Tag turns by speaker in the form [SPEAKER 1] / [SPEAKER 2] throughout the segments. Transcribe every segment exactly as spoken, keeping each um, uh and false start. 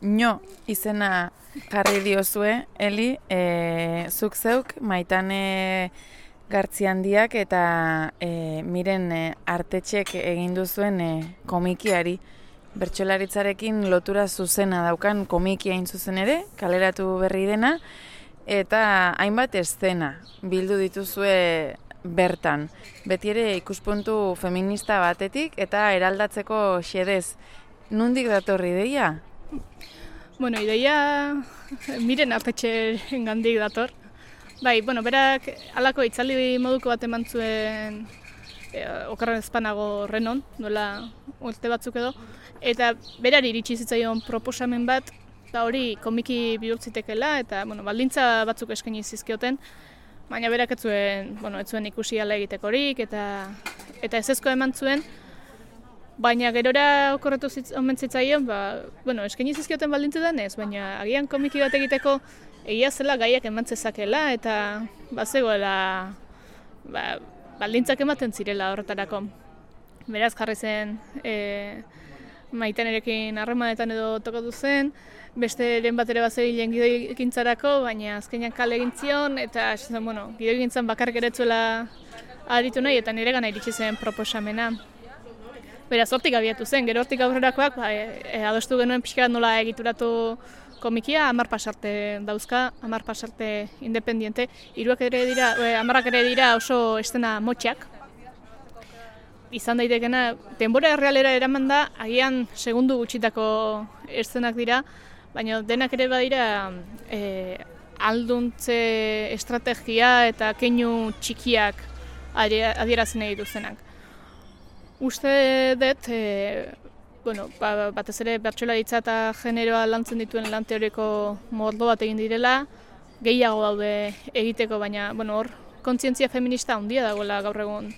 [SPEAKER 1] Nio izena jarri diozue, Eli, e, zuk zeuk, Maitane Gartziandiak eta e, miren e, artetxek egin duzuen e, komikiari. Bertsolaritzarekin lotura zuzena daukan komikia hain zuzen ere, kaleratu berri dena, eta hainbat eszena bildu dituzue bertan. Beti ere ikuspuntu feminista batetik eta eraldatzeko xedez. Nundik datorri ideia?
[SPEAKER 2] Bueno, ideia miren artetxeren gandik dator. Bai, bueno, berak halako itzaldi moduko bat eman zuen e, okerren ezpanago Renon, duela urte batzuk edo, eta berari iritsi zitzaion proposamen bat, da hori komiki bihurtzitekela, eta bueno, baldintza batzuk eskaini zizkioten, baina berak ez zuen, bueno, ez zuen ikusi ala egitekorik, eta eta ezezko eman zuen, baina gerora okorretu omen zitzaion, ba, bueno, eskaini zizkioten baldintzetan ez, baina agian komiki bat egiteko egia zela gaiak eman zezakela, eta bazegoela ba, baldintzak ematen zirela horretarako. Beraz jarri zen e, Maitanerekin harremanetan edo tokatu zen, besteren bat ere bazebilen gidoigintzarako, baina azkenean kale egin zion, eta zen, bueno, gidoigintzan bakarrik eretzuela aritu nahi, eta nire gana iritsi zen proposamena. Beraz, hortik abiatu zen, gero hortik aurrerakoak, ba, e, e, adostu genuen pixka bat nola egituratu komikia, hamar pasarte dauzka, hamar pasarte independiente, hiruak ere dira, e, hamarrak ere dira oso estena motxak. Izan daitekena, denbora errealera eraman da, agian segundu gutxitako eszenak dira, baina denak ere badira e, alduntze estrategia eta keinu txikiak adierazen nahi duzenak. Uste dut, e, bueno, ba, batez ere bertsolaritza eta generoa lantzen dituen lan teoriko mordo bat egin direla, gehiago daude egiteko, baina bueno, hor kontzientzia feminista handia dagoela gaur egun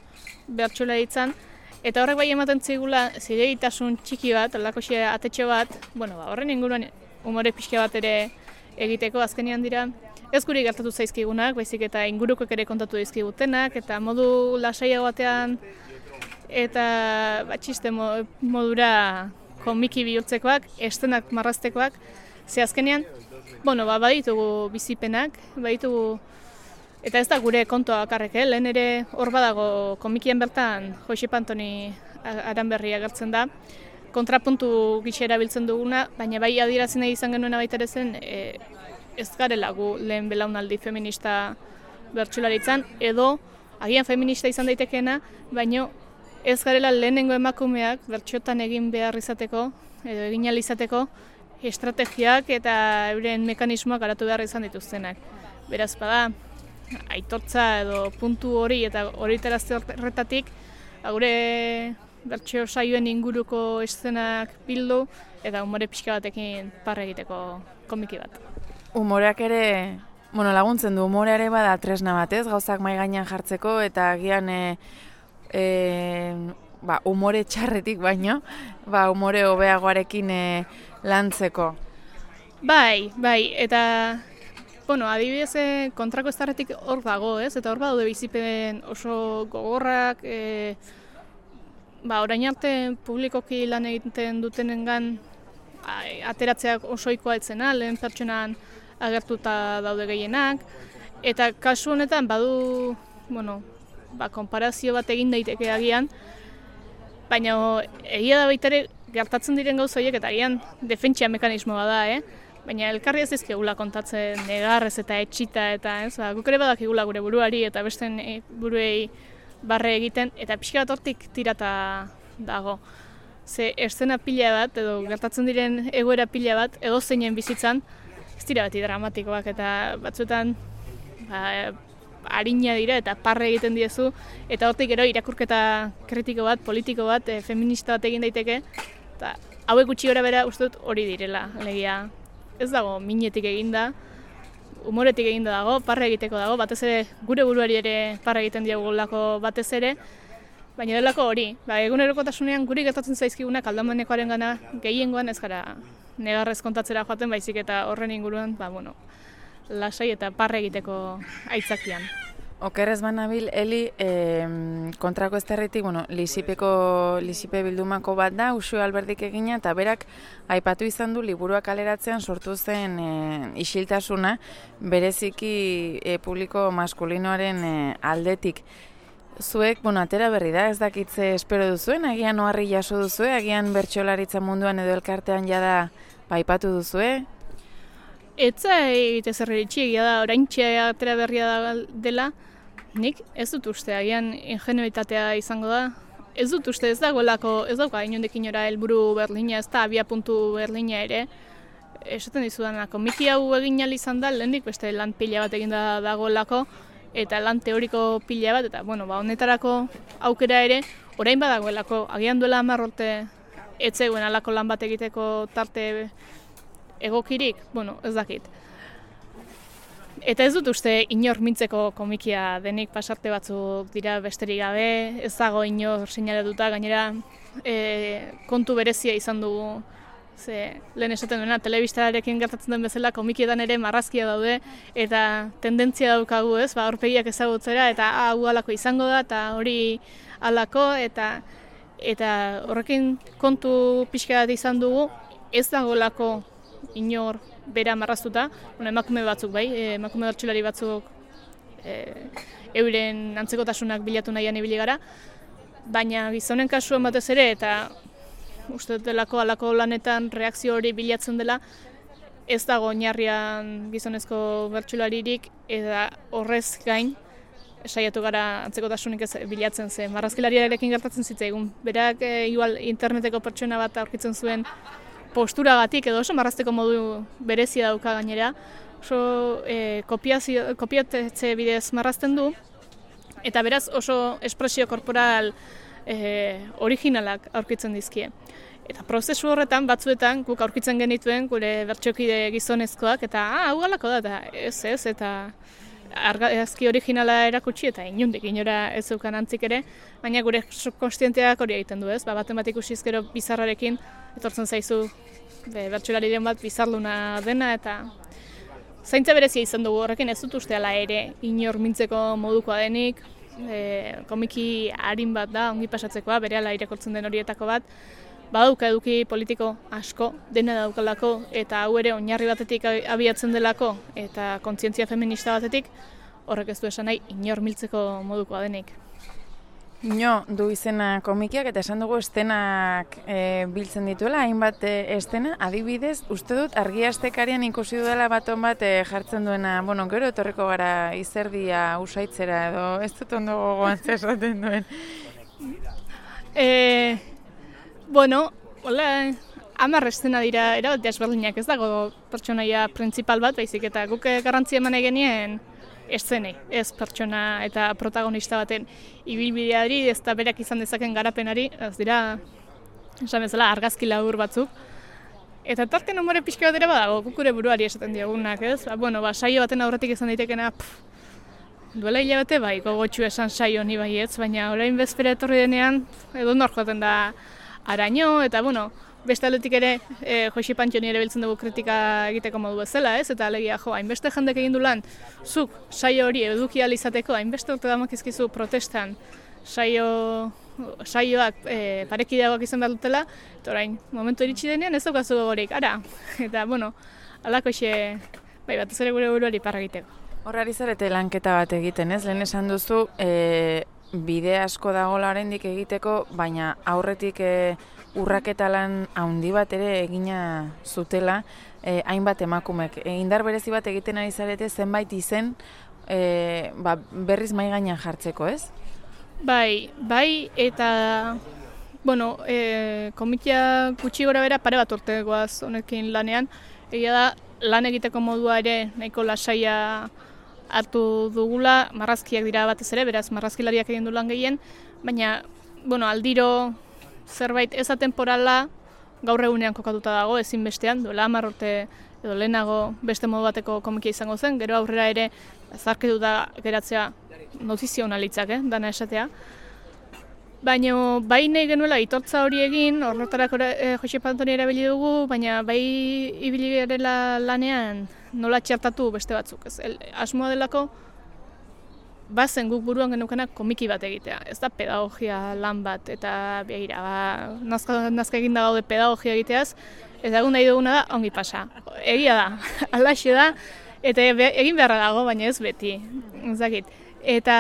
[SPEAKER 2] bertsolaritzan, eta horrek bai ematen zigula zilegitasun txiki bat, alakoxe atetxo bat, bueno, ba, horren inguruan umore pixka bat ere egiteko azkenean dira, ez guri gertatu zaizkigunak, baizik eta ingurukoek ere kontatu dizkigutenak, eta modu lasaiago batean eta batxiste modura komiki bihurtzekoak, estenak marraztekoak, ze azkenean, bueno, ba, baditugu bizipenak, baditugu, eta ez da gure kontua bakarrik, eh? Lehen ere hor badago komikien bertan Josep Antoni Aranberri agertzen da, kontrapuntu gisa erabiltzen duguna, baina bai adierazi nahi izan genuena baita ere zen, e, ez garela gu lehen belaunaldi feminista bertsolaritzan, edo agian feminista izan daitekeena, baina ez garela lehenengo emakumeak bertxotan egin behar izateko, edo egin ahal izateko, estrategiak eta euren mekanismoak garatu behar izan dituztenak. Beraz, bada, aitortza edo puntu hori eta hori terazte horretatik, gure bertxo saioen inguruko eszenak bildu eta umore pixka batekin parre egiteko komiki bat.
[SPEAKER 1] Umoreak ere, bueno, laguntzen du, umoreare bada tresna batez, gauzak mai gainean jartzeko eta agian e, E, ba, umore txarretik baino, ba, umore hobeagoarekin e, lantzeko.
[SPEAKER 2] Bai, bai, eta bueno, adibidez kontrako eztarretik hor dago, ez? Eta hor badaude bizipen oso gogorrak, e, ba, orain arte publikoki lan egiten dutenengan ateratzeak osoikoa etzena, lehen pertsonan agertuta daude gehienak, eta kasu honetan badu, bueno, ba, konparazio bat egin daiteke agian, baina egia da baita ere gertatzen diren gauza horiek eta agian defentsia mekanismoa da, eh? Baina elkarri ez dizkigula kontatzen negarrez eta etxita eta ez, ba, guk ere badakigula gure buruari eta besten buruei barre egiten, eta pixka bat hortik tirata dago. Ze eszena pila bat edo gertatzen diren egoera pila bat edo zeinen bizitzan, ez dira beti dramatikoak eta batzuetan ba, arina dira eta parre egiten diezu, eta hortik gero irakurketa kritiko bat, politiko bat, e, feminista bat egin daiteke, eta hauek gutxi gora bera uste dut hori direla, alegia. Ez dago minetik eginda, umoretik eginda dago, parre egiteko dago, batez ere gure buruari ere parre egiten diagulako batez ere, baina delako hori, ba, egunerokotasunean guri gertatzen zaizkigunak aldamenekoaren gana gehiengoan ez gara negarrez kontatzera joaten baizik eta horren inguruan, ba, bueno, lasai eta parre egiteko aitzakian.
[SPEAKER 1] Okerrez banabil, Eli, eh, kontrako ezterritik, bueno, Lisipeko, Lisipe bildumako bat da, Uxue Alberdik egina, eta berak aipatu izan du liburuak kaleratzean sortu zen eh, isiltasuna, bereziki eh, publiko maskulinoaren eh, aldetik. Zuek, bueno, atera berri da, ez dakitze espero duzuen, agian oharri jaso duzue, agian bertsolaritza munduan edo elkartean jada aipatu duzue?
[SPEAKER 2] Etza egite zerreritxi egia da, oraintxe atera berria da dela, nik ez dut uste, agian ingenuitatea izango da. Ez dut uste, ez dagoelako, ez dauka inondik inora helburu Berlina, ez da abia puntu Berlina ere. Esaten dizudana, komiki hau egin ahal izan da, lehendik beste lan pila bat egin da dagoelako, eta lan teoriko pila bat, eta bueno, ba, honetarako aukera ere, orain badagoelako, agian duela hamar urte ez zegoen halako lan bat egiteko tarte egokirik, bueno, ez dakit. Eta ez dut uste inor mintzeko komikia denik, pasarte batzuk dira besterik gabe, ez dago inor seinaletuta, gainera e, kontu berezia izan dugu. Ze, lehen esaten duena, telebistarekin gertatzen den bezala komikietan ere marrazkia daude eta tendentzia daukagu, ez, ba, aurpegiak ezagutzera eta hau halako izango da eta hori halako eta eta horrekin kontu pixka bat izan dugu, ez dagoelako inor bera marraztuta, bueno, emakume batzuk bai, emakume bertsolari batzuk e, euren antzekotasunak bilatu nahian ibili gara, baina gizonen kasuan batez ere eta uste delako alako lanetan reakzio hori bilatzen dela, ez dago oinarrian gizonezko bertsolaririk eta horrez gain saiatu gara antzekotasunik ez bilatzen zen. Marrazkilariarekin gertatzen zitzaigun. Berak e, igual interneteko pertsona bat aurkitzen zuen posturagatik edo oso marrazteko modu berezia dauka gainera. Oso e, kopiatze bidez marrazten du eta beraz oso espresio korporal e, originalak aurkitzen dizkie. Eta prozesu horretan batzuetan guk aurkitzen genituen gure bertsokide gizonezkoak eta ah, hau galako da eta ez ez eta argazki originala erakutsi eta inundik inora ez zeukan antzik ere, baina gure subkonstienteak hori egiten du, ez? Ba, baten bat ikusiz gero bizarrarekin etortzen zaizu be, bertsolariren bat bizarluna dena eta zaintza berezia izan dugu horrekin ez dut uste ala ere inor mintzeko modukoa denik, e, komiki arin bat da, ongi pasatzekoa, berehala irakurtzen den horietako bat, badauka eduki politiko asko, dena daukalako, eta hau ere oinarri batetik abiatzen delako, eta kontzientzia feminista batetik, horrek ez du esan nahi inor miltzeko modukoa denik.
[SPEAKER 1] Ino, du izena komikiak eta esan dugu estenak e, biltzen dituela, hainbat e, estena, adibidez, uste dut argiastekarian ikusi dudala baton bat e, jartzen duena, bueno, gero etorriko gara izerdia usaitzera edo, ez dut ondo gogoan zesaten duen.
[SPEAKER 2] E, bueno, hola, hamar estena dira, erabat desberdinak, ez dago pertsonaia printzipal bat, baizik eta guk garrantzia eman genien eszenei, ez pertsona eta protagonista baten ibilbideari, ez da berak izan dezaken garapenari, ez dira, esan bezala, argazki labur batzuk. Eta tarten umore pixka bat ere badago, gukure buruari esaten diogunak, ez? Ba, bueno, ba, saio baten aurretik izan daitekena, pff, duela hilabete bai, gogotxu esan saio ni baietz, baina orain bezpera etorri denean, edo nor joaten da araño, eta, bueno, beste aldetik ere, e, Josi Pantxoni ere biltzen dugu kritika egiteko modu bezala, ez? Eta alegia, jo, hainbeste jendek egin du lan, zuk saio hori eduki ahal izateko, hainbeste urte damakizkizu protestan saio, saioak e, parekideagoak izan behar dutela, eta orain, momentu iritsi denean ez daukazu gogorik, ara, eta, bueno, alako xe, bai, batez ere gure buruari parra egiteko.
[SPEAKER 1] Horrari zarete lanketa bat egiten, ez? Lehen esan duzu, e, bide asko dagoela oraindik egiteko, baina aurretik e, urraketa lan handi bat ere egina zutela, e, hainbat emakumek. E, indar berezi bat egiten ari zarete zenbait izen e, ba, berriz mai gainean jartzeko, ez?
[SPEAKER 2] Bai, bai, eta bueno, e, komikia gutxi gora bera pare bat urte goaz honekin lanean, egia da lan egiteko modua ere nahiko lasaia hartu dugula, marrazkiak dira batez ere, beraz marrazkilariak egin du lan gehien, baina bueno, aldiro zerbait ez atemporala gaur egunean kokatuta dago, ezinbestean, duela hamar urte edo lehenago beste modu bateko komikia izango zen, gero aurrera ere zarkituta geratzea notizio hona litzak, eh, dana esatea. Baina bai nahi genuela itortza hori egin, horretarako eh, Josi Pantoni erabili dugu, baina bai ibili garela lanean nola txertatu beste batzuk. Ez, el, asmoa delako bazen guk buruan genukenak komiki bat egitea. Ez da pedagogia lan bat, eta begira, ba, nazka, nazka eginda gaude pedagogia egiteaz, eta egun nahi duguna da, ongi pasa. Egia da, alaxe da, eta egin beharra dago, baina ez beti, ezakit. Eta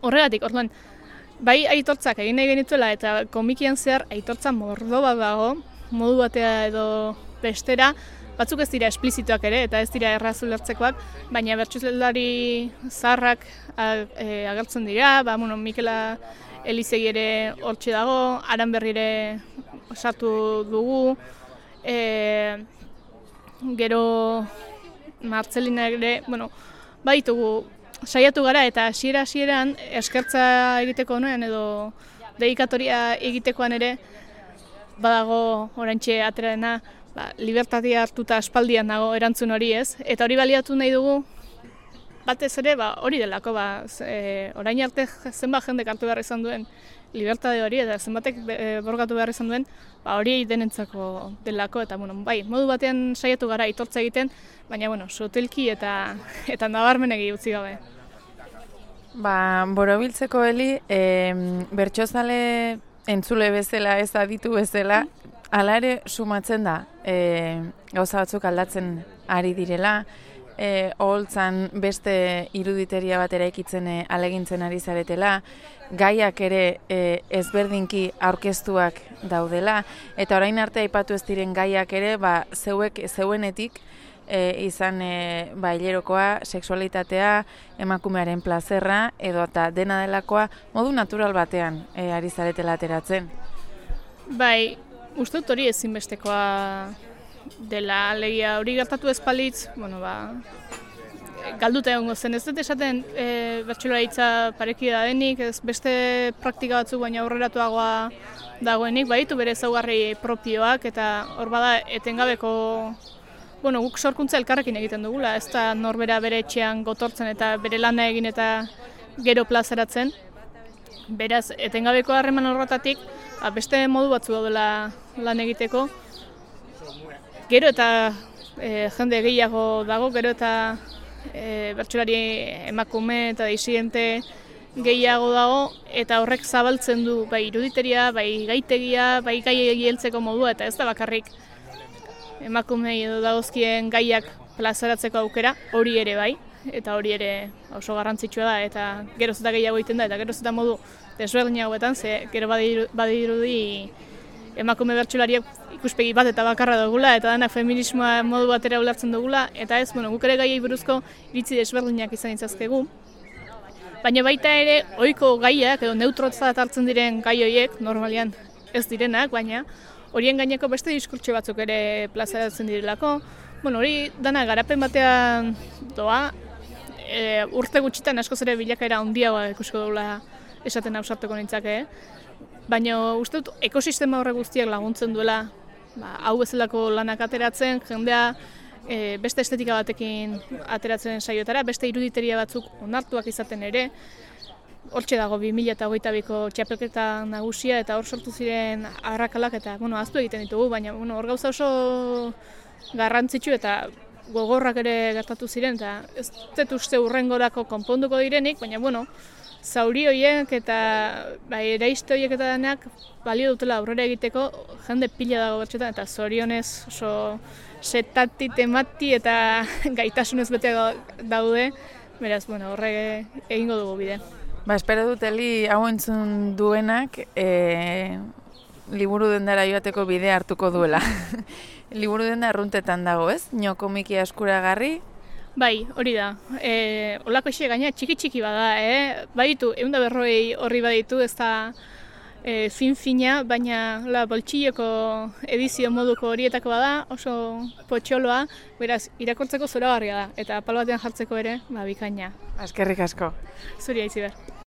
[SPEAKER 2] horregatik, orduan, bai aitortzak egin nahi genituela, eta komikian zehar aitortza mordo bat dago, modu batea edo bestera, batzuk ez dira esplizituak ere, eta ez dira erraz ulertzekoak, baina bertsolari zaharrak e, agertzen dira, ba, bueno, Mikela Elizegi ere hortxe dago, Aranberri ere sartu dugu, e, gero Martzelina ere, bueno, baditugu, saiatu gara eta hasiera hasieran eskertza egiteko nuen edo dedikatoria egitekoan ere badago oraintxe aterarena, ba, libertatea hartuta aspaldian dago erantzun hori ez, eta hori baliatu nahi dugu batez ere ba, hori delako, ba, e, orain arte zenbat jendek hartu behar izan duen libertate hori eta zenbatek e, borgatu behar izan duen, ba, hori denentzako delako, eta bueno, bai, modu batean saiatu gara aitortza egiten, baina bueno, sotilki eta, eta nabarmenegi utzi gabe.
[SPEAKER 1] Ba, borobiltzeko Eli, e, bertsozale entzule bezala, ez aditu bezala, hala ere sumatzen da, e, gauza batzuk aldatzen ari direla, e, oholtzan beste iruditeria bat eraikitzen e, alegintzen ari zaretela, gaiak ere e, ezberdinki aurkeztuak daudela, eta orain arte aipatu ez diren gaiak ere, ba, zeuek, zeuenetik, E, izan e, ba, hilerokoa, sexualitatea, emakumearen plazerra, edo eta dena delakoa modu natural batean e, ari zaretela ateratzen.
[SPEAKER 2] Bai, uste dut hori ezinbestekoa dela, alegia hori gertatu ez palitz, bueno, ba, galduta egongo zen. Ez dut esaten e, bertsolaritza pareki da denik, ez beste praktika batzuk baina aurreratuagoa dagoenik, baditu bere ezaugarri propioak, eta hor bada etengabeko Bueno, guk sorkuntza elkarrekin egiten dugula, ez da norbera bere etxean gotortzen eta bere lana egin eta gero plazaratzen. Beraz, etengabeko harreman horretatik, beste modu batzu daudela lan egiteko. Gero eta e, jende gehiago dago, gero eta e, bertsolari emakume eta disidente gehiago dago, eta horrek zabaltzen du bai iruditeria, bai gaitegia, bai gai heltzeko modua, eta ez da bakarrik emakumei edo dagozkien gaiak plazaratzeko aukera, hori ere bai, eta hori ere oso garrantzitsua da, eta geroz eta gehiago egiten da, eta geroz eta modu desberdinagoetan, ze gero badirudi emakume bertsolariak ikuspegi bat eta bakarra dugula, eta denak feminismoa modu batera ulertzen dugula, eta ez, bueno, guk ere gaiei buruzko iritzi desberdinak izan ditzazkegu. Baina baita ere, ohiko gaiak edo neutrotzat hartzen diren gai horiek, normalian ez direnak, baina horien gaineko beste diskurtso batzuk ere plazaratzen direlako. Bueno, hori dana garapen batean doa, e, urte gutxitan askoz ere bilakaera handiagoa ikusko dugula esaten ausartuko nintzake. Baina uste dut ekosistema horre guztiak laguntzen duela, ba, hau bezalako lanak ateratzen, jendea e, beste estetika batekin ateratzen saiotara, beste iruditeria batzuk onartuak izaten ere. Hortxe dago bi mila hogeita biko txapelketa nagusia eta hor sortu ziren arrakalak eta bueno, ahaztu egiten ditugu, baina bueno, hor gauza oso garrantzitsu eta gogorrak ere gertatu ziren eta ez dut uste hurrengorako konponduko direnik, baina bueno, zauri horiek eta bai, eraiste horiek eta denak balio dutela aurrera egiteko jende pila dago bertxetan eta zorionez oso setati, temati eta gaitasunez bete daude, beraz, bueno, horre egingo dugu bide.
[SPEAKER 1] Ba, espero dut Eli hau entzun duenak e, liburu dendara joateko bidea hartuko duela. Liburu denda arruntetan dago, ez? Nio komiki eskuragarri?
[SPEAKER 2] Bai, hori da. E, olako ise gaina txiki-txiki bada, eh? Baditu, ehun eta berrogei horri baditu, ez da e, fin-fina, baina la boltsilleko edizio moduko horietako bada, oso potxoloa, beraz, irakortzeko zoragarria da, eta palo batean jartzeko ere, ba, bikaina.
[SPEAKER 1] Eskerrik asko.
[SPEAKER 2] Zuri Aitziber.